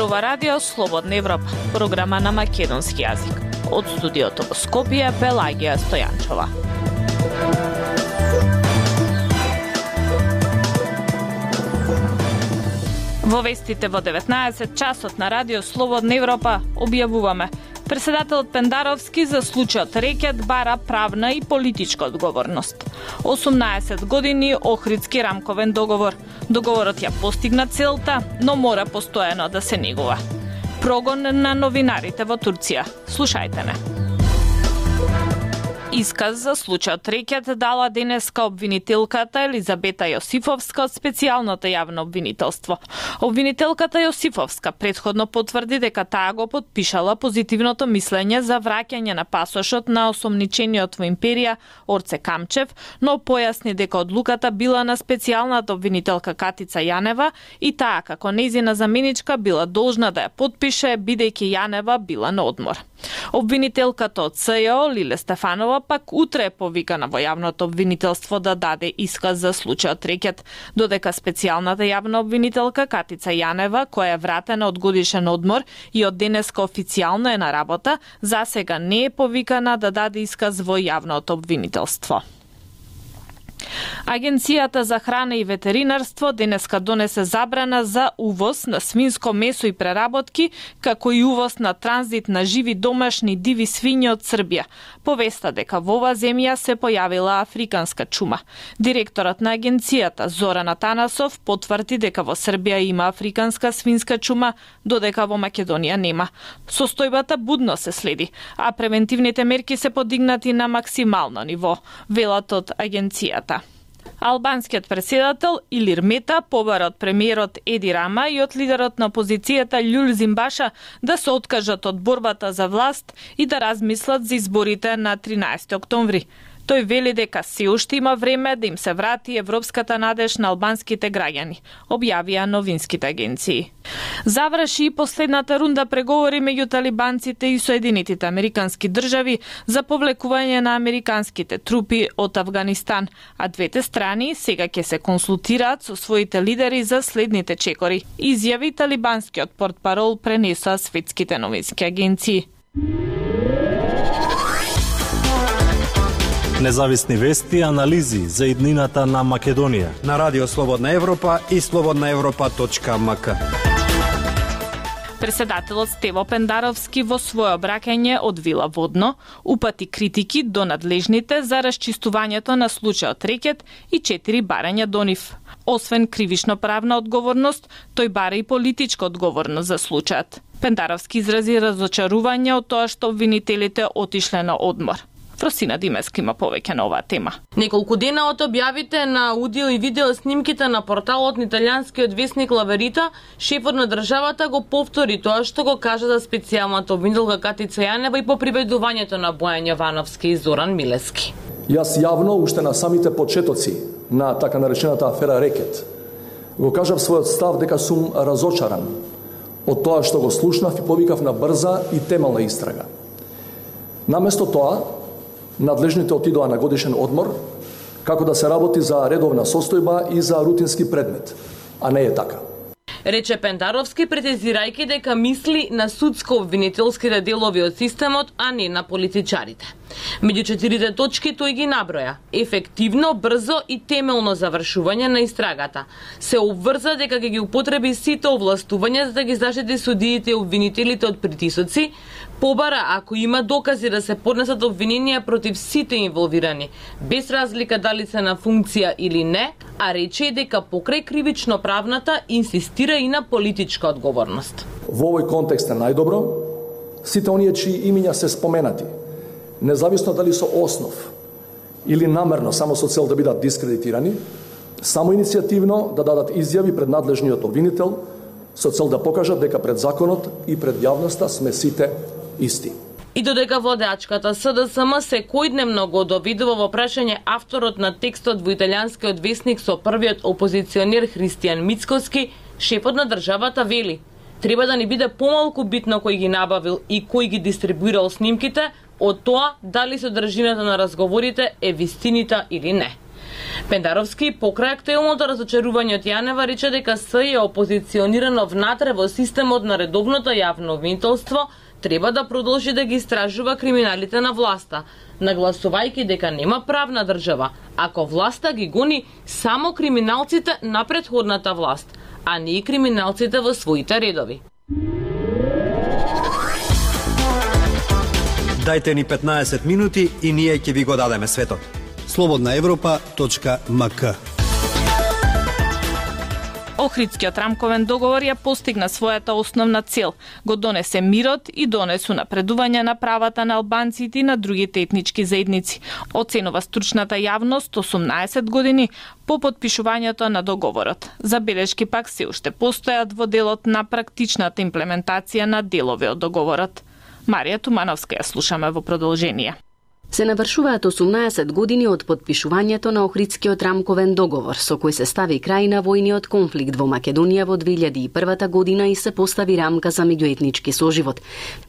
ова радио Слободна Европа, програма на македонски јазик. Од студиото во Скопје, Пелагија Стојанчова. Во вестите во 19 часот на радио Слободна Европа објавуваме: Председателот Пендаровски за случајот Рекет бара правна и политичка одговорност. 18 години Охридски рамковен договор. Договорот ја постигна целта, но мора постојано да се негува. Прогон на новинарите во Турција. Слушајте не. Исказ за случајот Рекет дала денеска обвинителката Елизабета Јосифовска од специјалното јавно обвинителство. Обвинителката Јосифовска претходно потврди дека таа го потпишала позитивното мислење за враќање на пасошот на осомничениот во империја Орце Камчев, но појасни дека одлуката била на специјалната обвинителка Катица Јанева и таа како нејзина заменичка била должна да ја потпише бидејќи Јанева била на одмор. Обвинителката од СЈО Лиле Стефанова пак утре е повикана во јавното обвинителство да даде исказ за случајот Рекет, додека специјалната јавна обвинителка Катица Јанева, која е вратена од годишен одмор и од денеска официјално е на работа, засега не е повикана да даде исказ во јавното обвинителство. Агенцијата за храна и ветеринарство денеска донесе забрана за увоз на свинско месо и преработки, како и увоз на транзит на живи домашни диви свињи од Србија. Повеста дека во оваа земја се појавила африканска чума. Директорот на агенцијата Зоран Атанасов потврди дека во Србија има африканска свинска чума, додека во Македонија нема. Состојбата будно се следи, а превентивните мерки се подигнати на максимално ниво, велат од агенцијата. Албанскиот претседател Илир Мета побара од премиерот Еди Рама и од лидерот на опозицијата Љул Зимбаша да се откажат од борбата за власт и да размислат за изборите на 13 октомври. Тој вели дека се уште има време да им се врати европската надеж на албанските граѓани, објавија новинските агенции. Заврши и последната рунда преговори меѓу талибанците и Соединетите американски држави за повлекување на американските трупи од Авганистан, а двете страни сега ќе се консултираат со своите лидери за следните чекори, изјави талибанскиот портпарол пренесоа светските новински агенции. Независни вести и анализи за иднината на Македонија на Радио Слободна Европа и slobodnaevropa.mk. Председателот Стево Пендаровски во свое обраќање од Вила Водно упати критики до надлежните за расчистувањето на случајот Рекет и 4 барања до нив. Освен кривично-правна одговорност, тој бара и политичка одговорност за случајот. Пендаровски изрази разочарување од тоа што обвинителите отишле на одмор. Фросина Димеска има повеќе на оваа тема. Неколку дена од објавите на аудио и видео снимките на порталот на италијанскиот весник Ла Верита, шефот на државата го повтори тоа што го кажа за специјалната обвинителка Катица Јанева и по приведувањето на Бојан Јовановски и Зоран Милески. Јас јавно уште на самите почетоци на така наречената афера Рекет го кажав својот став дека сум разочаран од тоа што го слушнав и повикав на брза и темелна истрага. Наместо тоа, надлежните отидоа на годишен одмор, како да се работи за редовна состојба и за рутински предмет, а не е така. Рече Пендаровски, претезирајќи дека мисли на судско-обвинителските делови од системот, а не на политичарите. Меѓу 4 точки тој ги наброја: ефективно, брзо и темелно завршување на истрагата. Се обврза дека ќе ги употреби сите овластувања за да ги заштити судиите и обвинителите од притисоци, побара ако има докази да се поднесат обвиненија против сите инволвирани, без разлика дали се на функција или не, а рече и дека покрај кривично-правната инсистира и на политичка одговорност. Во овој контекст е најдобро сите оние чии имиња се споменати, независно дали со основ или намерно само со цел да бидат дискредитирани, само иницијативно да дадат изјави пред надлежниот обвинител со цел да покажат дека пред законот и пред јавноста сме сите исти. И додека водачката СДСМ секојдневно го довидува во прашање авторот на текстот во италијанскиот весник со првиот опозиционер Христијан Мицкоски, шефот на државата вели: треба да ни биде помалку битно кој ги набавил и кој ги дистрибуирал снимките од тоа дали содржината на разговорите е вистинита или не. Пендаровски покрај актуелното разочарување од јануар рече дека СЈ е опозиционирано внатре во системот на редовното јавно обвинителство, треба да продолжи да ги истражува криминалите на власта, нагласувајќи дека нема правна држава, ако власта ги гони само криминалците на претходната власт, а не и криминалците во своите редови. Дајте ни 15 минути и ние ќе ви го дадеме светот. slobodnaevropa.mk. Охридскиот рамковен договор ја постигна својата основна цел, го донесе мирот и донесу напредување на правата на албанците и на другите етнички заедници. Оценува стручната јавност 18 години по потпишувањето на договорот. Забелешки пак се уште постојат во делот на практичната имплементација на делови од договорот. Марија Тумановска ја слушаме во продолжение. Се навршуваат 18 години од потпишувањето на Охридскиот рамковен договор, со кој се стави крај на војниот конфликт во Македонија во 2001 година и се постави рамка за меѓуетнички соживот.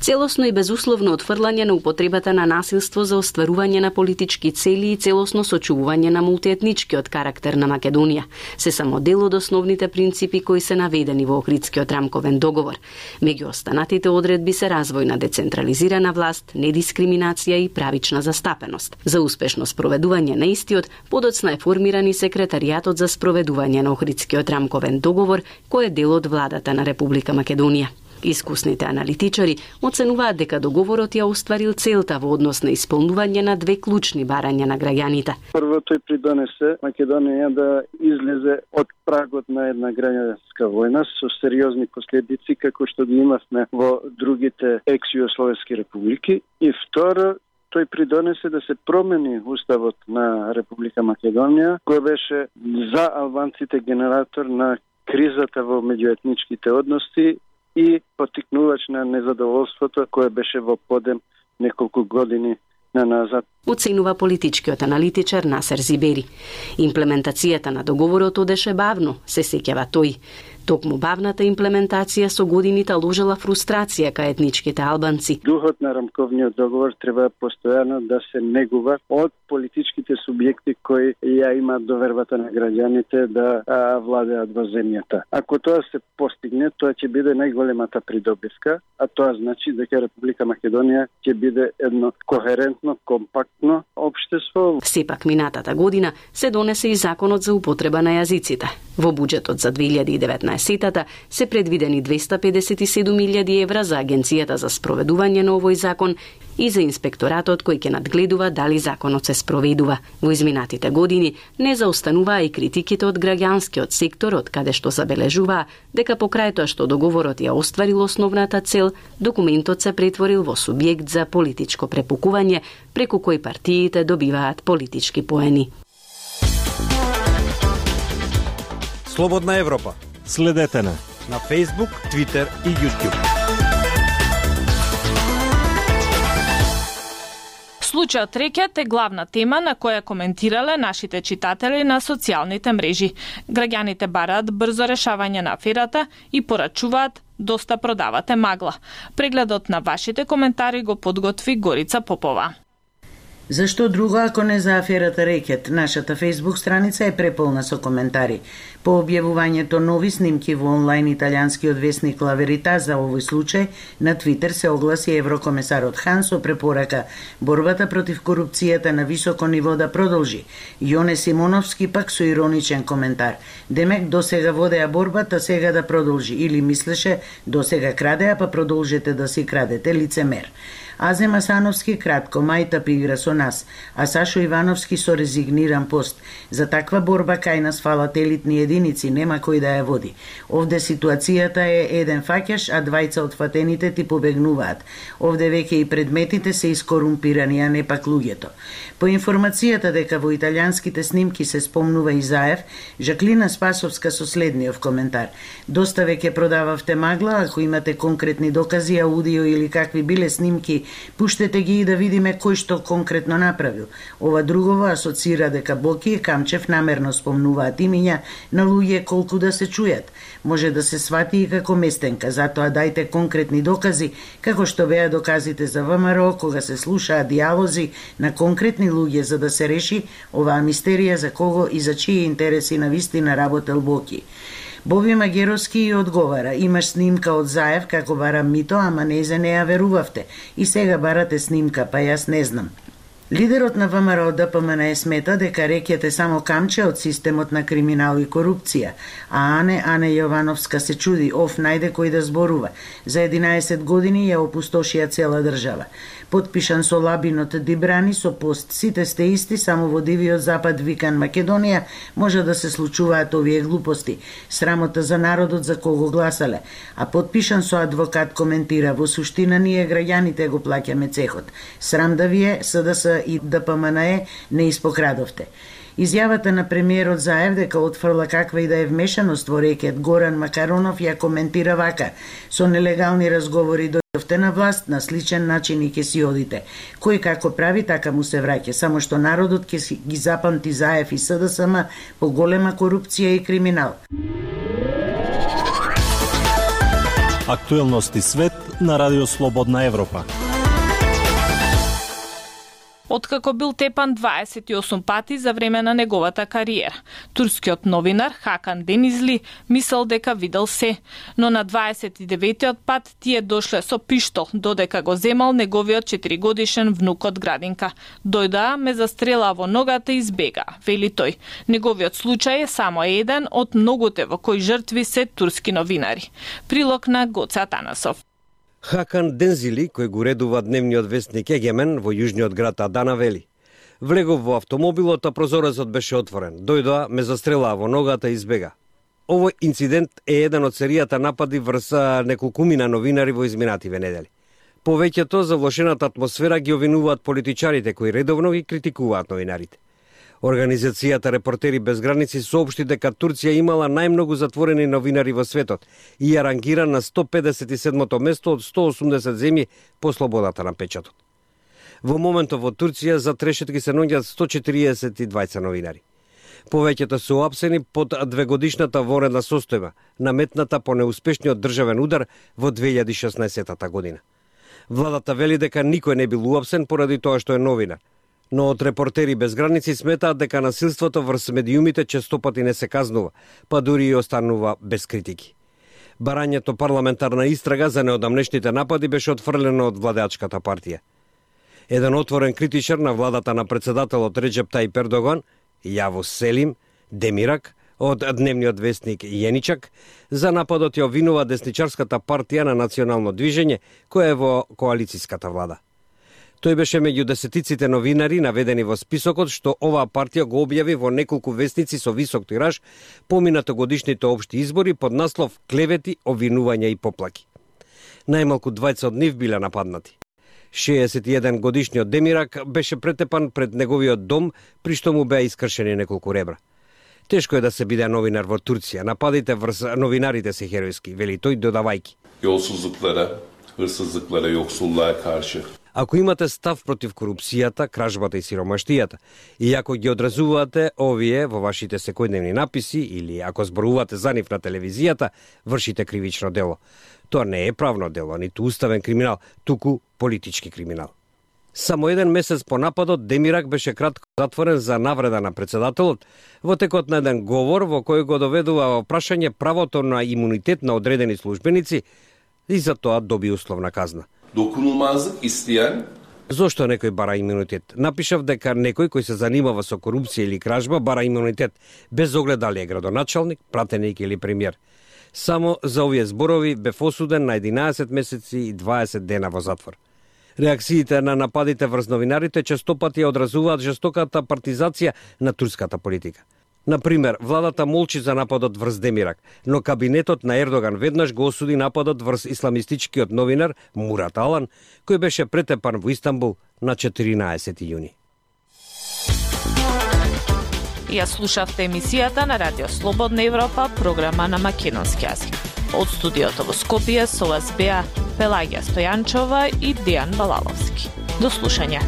Целосно и безусловно отфрлање на употребата на насилство за остварување на политички цели и целосно сочувување на мултиетничкиот карактер на Македонија се само дел од основните принципи кои се наведени во Охридскиот рамковен договор. Меѓу останатите одредби се развој на децентрализирана власт, недискриминација и правична застапеност. За успешно спроведување на истиот, подоцна е формиран и секретаријатот за спроведување на Охридскиот рамковен договор, кој е дел од владата на Република Македонија. Искусните аналитичари оценуваат дека договорот ја остварил целта во однос на исполнување на две клучни барања на граѓаните. Прво, тој придонесе Македонија да излезе од прагот на една граѓанска војна со сериозни последици како што ги имавме во другите екс-југословенски републики. И второ, тој придонесе да се промени уставот на Република Македонија, кој беше за албанците генератор на кризата во меѓуетничките односи и поттикнувач на незадоволството кое беше во подем неколку години назад. Оценува политичкиот аналитичар Насер Зибери. Имплементацијата на договорот одеше бавно, се сеќава тој. Токму бавната имплементација со годините ложела фрустрација кај етничките албанци. Духот на рамковниот договор треба постојано да се негува од политичките субјекти кои ја имаат довербата на граѓаните да владеат во земјата. Ако тоа се постигне, тоа ќе биде најголемата придобивка, а тоа значи дека Република Македонија ќе биде едно кохерентно, компактно општество. Сепак минатата година се донесе и законот за употреба на јазиците. Во буџетот за 2019 се предвидени 257.000 евра за Агенцијата за спроведување на овој закон и за инспекторатот кој ќе надгледува дали законот се спроведува. Во изминатите години не заостануваа и критиките од граѓанскиот сектор, од каде што забележуваа дека покрај тоа што договорот ја остварил основната цел, документот се претворил во субјект за политичко препукување, преку кој партиите добиваат политички поени. Слободна Европа. Следете на Facebook, Twitter и YouTube. Случајот Рекет е главна тема на која коментирале нашите читатели на социјалните мрежи. Граѓаните бараат брзо решавање на аферата и порачуваат доста продавате магла. Прегледот на вашите коментари го подготви Горица Попова. Зашто друго ако не за аферата Рекет? Нашата Facebook страница е преполна со коментари. По објавувањето нови снимки во онлайн италијанскиот весник La Verità за овој случај, на Твитер се огласи еврокомесарот Хан со препорака борбата против корупцијата на високо ниво да продолжи. Јоне Симоновски пак со ироничен коментар. Демек досега водеа борбата, сега да продолжи. Или мислеше досега крадеа, па продолжете да си крадете, лицемер. Азем Асановски кратко, мајта игра со нас, а Сашо Ивановски со резигниран пост. За таква борба кај нас фалат елитни единици, нема кој да ја води. Овде ситуацијата е еден фаќаш, а двајца од фатените ти побегнуваат. Овде веќе и предметите се искорумпирани, а не пак луѓето. По информацијата дека во италијанските снимки се спомнува Изаев, Жаклина Спасовска со следниот коментар. Доста веќе продававте магла, ако имате конкретни докази, аудио или какви биле снимки пуштете ги и да видиме кој што конкретно направил. Ова другово асоцира дека Боки и Камчев намерно спомнуваат имиња на луѓе колку да се чујат. Може да се свати и како местенка, затоа дајте конкретни докази, како што беа доказите за ВМРО кога се слушаат диалози на конкретни луѓе за да се реши оваа мистерија за кого и за чии интереси на вистина работел Боки. Боби Магеровски и одговара: имаш снимка од Заев како барам мито, ама незе не ја верувавте. И сега барате снимка, па јас не знам. Лидерот на ВМРО ДПМН смета дека Рекет е само камче од системот на криминал и корупција, а Ане Јовановска се чуди, најде кој да зборува. За 11 години ја опустошија цела држава. Потпишан со Лабинот Дибрани со пост: сите сте исти, само во дивиот запад викан Македонија може да се случуваат овие глупости. Срамота за народот за кого гласале. А потпишан со адвокат коментира: во суштина ние граѓаните го плаќаме цехот. Срам да вие, СДС и ДПМНЕ не испокрадовте. Изјавата на премиерот Заев дека отфрла каква и да е вмешаност во Рекет Горан Макаронов ја коментира вака: со нелегални разговори дојдовте на власт, на сличен начин и ќе си одите. Кој како прави, така му се враќа, само што народот ќе ги запамти Заев и СДСМ по голема корупција и криминал. Актуелности свет на Радио Слободна Европа. Откако бил тепан 28 пати за време на неговата кариера, турскиот новинар Хакан Денизли мислел дека видел се, но на 29-тиот пат тие дошле со пиштол, додека го земал неговиот 4-годишен внукот Градинка. Дојдаа, ме застрела во ногата и избега, вели тој. Неговиот случај е само еден од многуте во кои жртви се турски новинари. Прилог на Гоце Атанасов. Хакан Дензили, кој го редува дневниот вестник Егемен во јужниот град Адана, вели: влегов во автомобилот, а прозорецот беше отворен. Дојдоа, ме застрелаа во ногата и избега. Овој инцидент е еден од серијата напади врз неколкумина новинари во изминативе недели. Повеќето за влошената атмосфера ги обвинуваат политичарите кои редовно ги критикуваат новинарите. Организацијата Репортери без граници соопшти дека Турција имала најмногу затворени новинари во светот и ја рангира на 157-то место од 180 земји по слободата на печатот. Во моментот во Турција за трешетки се наоѓаат 142 новинари. Повеќето се уапсени под двегодишната вонредна состојба, наметната по неуспешниот државен удар во 2016 година. Владата вели дека никој не бил уапсен поради тоа што е новинар. Но од Репортери без граници сметаат дека насилството врз медиумите честопати не се казнува, па дури и останува без критики. Барањето парламентарна истрага за неодамнешните напади беше отфрлено од владеачката партија. Еден отворен критичар на владата на председателот Реджеп Тајип Ердоган, Јавос Селим Демирак, од дневниот вестник Јеничак, за нападот ја обвинува десничарската партија на Национално движење, која е во коалицијската влада. Тој беше меѓу десетиците новинари наведени во списокот што оваа партија го објави во неколку вестници со висок тираж поминато годишните општи избори под наслов клевети, обвинувања и поплаки. Најмалку 20 од нив биле нападнати. 61 годишниот Демирак беше претепан пред неговиот дом, при што му беа искршени неколку ребра. Тешко е да се биде новинар во Турција. Нападите врз новинарите се херојски, вели тој додавајки. Yolsuzluklara, hırsızlıklara, yoksulluğa karşı. Ако имате став против корупцијата, кражбата и сиромаштијата, и ако ги одразувате овие во вашите секојдневни написи или ако зборувате за нив на телевизијата, вршите кривично дело. Тоа не е правно дело, ниту уставен криминал, туку политички криминал. Само еден месец по нападот, Демирак беше кратко затворен за навреда на председателот во текот на еден говор во кој го доведува во прашање правото на имунитет на одредени службеници и за тоа доби условна казна. Dokunulmazlık isteyen Зошто некој бара имунитет? Напишав дека некој кој се занимава со корупција или кражба бара имунитет, без оглед дали е градоначалник, пратеник или премиер. Само за овие зборови бев осуден на 11 месеци и 20 дена во затвор. Реакциите на нападите врз новинарите честопати ја одразуваат жестоката партизација на турската политика. Например, владата молчи за нападот врз Демирак, но кабинетот на Ердоган веднаш го осуди нападот врз исламистичкиот новинар Мурат Алан, кој беше претепан во Истанбул на 14 јуни. Ја слушавте емисијата на Радио Слободна Европа, програма на македонски јазик. Од студиото во Скопје со вас беа Пелагија Стојанчова и Дејан Балаловски. До слушање.